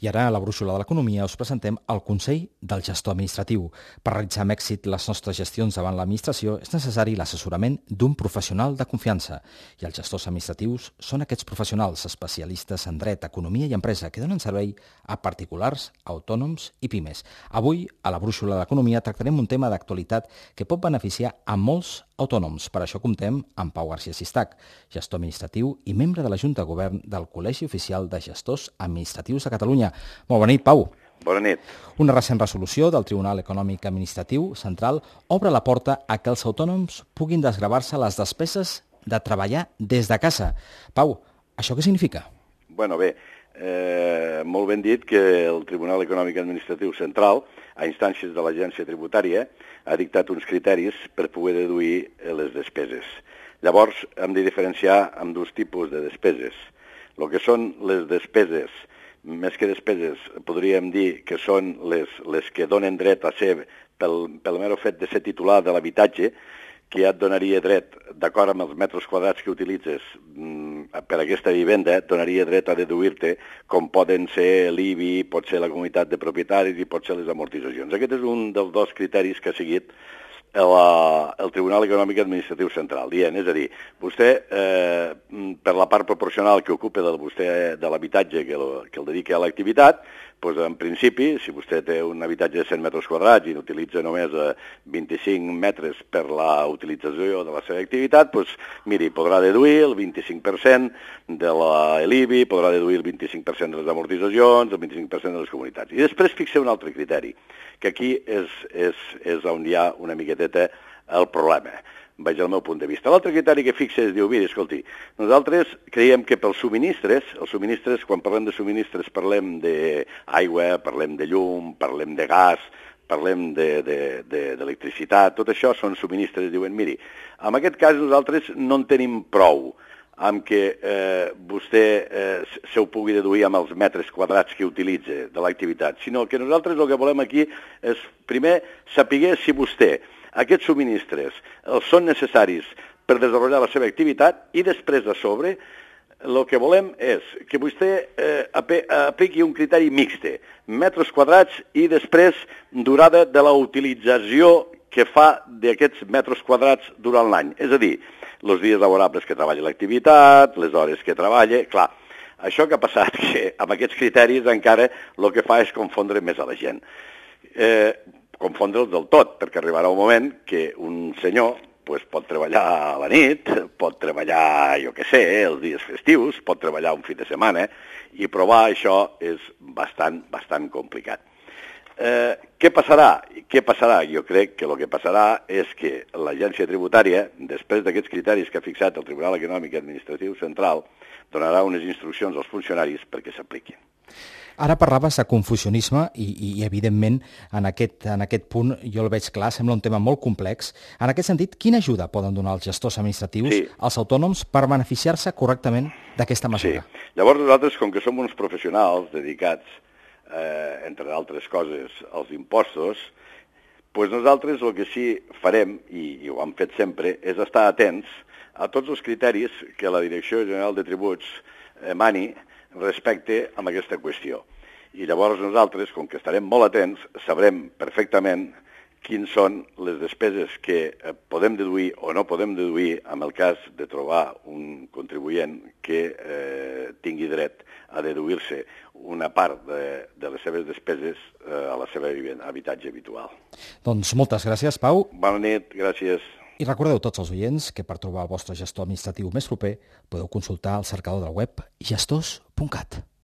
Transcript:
I ara, a la brúixola de l'economia, us presentem el Consell del Gestor Administratiu. Per realitzar amb èxit les nostres gestions davant l'administració és necessari l'assessorament d'un professional de confiança. I els gestors administratius són aquests professionals especialistes en dret, economia i empresa que donen servei a particulars, autònoms i pimes. Avui, a la brúixola de l'economia, tractarem un tema d'actualitat que pot beneficiar a molts autònoms. Per això comptem amb Pau García Sistac, gestor administratiu i membre de la Junta de Govern del Col·legi Oficial de Gestors Administratius de Catalunya. Molt bona nit, Pau. Bona nit. Una recent resolució del Tribunal Econòmic Administratiu Central obre la porta a que els autònoms puguin desgravar-se les despeses de treballar des de casa. Pau, això què significa? Bueno, bé, molt ben dit que el Tribunal Econòmic Administratiu Central, a instàncies de l'Agència Tributària, ha dictat uns criteris per poder deduir les despeses. Llavors, hem de diferenciar amb dos tipus de despeses. El que són les despeses, més que despeses, podríem dir que són les que donen dret a ser, pel mero fet de ser titular de l'habitatge, que ja et donaria dret, d'acord amb els metres quadrats que utilitzes per aquesta vivenda, et donaria dret a deduir-te com poden ser l'IBI, pot ser la comunitat de propietaris i pot ser les amortitzacions. Aquest és un dels dos criteris que ha seguit el Tribunal Econòmic Administratiu Central, dient, és a dir, vostè, per la part proporcional que ocupa de l'habitatge que el dedica a l'activitat, doncs, en principi, si vostè té un habitatge de 100 metres quadrats i n'utilitza només 25 metres per la utilització de la seva activitat, doncs, miri, podrà deduir el 25% de l'IBI, podrà deduir el 25% de les amortitzacions, el 25% de les comunitats. I després fixa un altre criteri, que aquí és on hi ha una miqueteta el problema, vaig al meu punt de vista. L'altre criteri que fixa és, diu, mira, escolti, nosaltres creiem que pels subministres, quan parlem de subministres parlem d'aigua, parlem de llum, parlem de gas, parlem d'electricitat, tot això són subministres, diuen, miri, en aquest cas nosaltres no en tenim prou amb que vostè se ho pugui deduir amb els metres quadrats que utilitza de l'activitat, sinó que nosaltres el que volem aquí és, primer, saber si vostè aquests subministres són necessaris per desenvolupar la seva activitat i després, a sobre, el que volem és que vostè apliqui un criteri mixte, metres quadrats i després durada de la utilització que fa d'aquests metres quadrats durant l'any. És a dir, els dies laborables que treballa l'activitat, les hores que treballa... Clar, això que ha passat, que amb aquests criteris encara el que fa és confondre més a la gent. Confondre'ls del tot, perquè arribarà un moment que un senyor pot treballar a la nit, pot treballar, jo què sé, els dies festius, pot treballar un fi de setmana, i provar això és bastant complicat. Què passarà? Jo crec que el que passarà és que l'Agència Tributària, després d'aquests criteris que ha fixat el Tribunal Econòmic Administratiu Central, donarà unes instruccions als funcionaris perquè s'apliquin. Ara parlaves de confusionisme i evidentment, en aquest punt jo el veig clar, sembla un tema molt complex. En aquest sentit, quina ajuda poden donar els gestors administratius als autònoms per beneficiar-se correctament d'aquesta mesura? Sí. Llavors nosaltres, com que som uns professionals dedicats, entre altres coses, als impostos, doncs nosaltres el que sí farem, i ho hem fet sempre, és estar atents a tots els criteris que la Direcció General de Tributs emani respecte a aquesta qüestió. I llavors nosaltres, com que estarem molt atents, sabrem perfectament quines són les despeses que podem deduir o no podem deduir en el cas de trobar un contribuent que tingui dret a deduir-se una part de les seves despeses a la seva habitatge habitual. Doncs moltes gràcies, Pau. Bona nit, gràcies. I recordeu tots els oients que per trobar el vostre gestor administratiu més proper podeu consultar el cercador del web gestors.cat.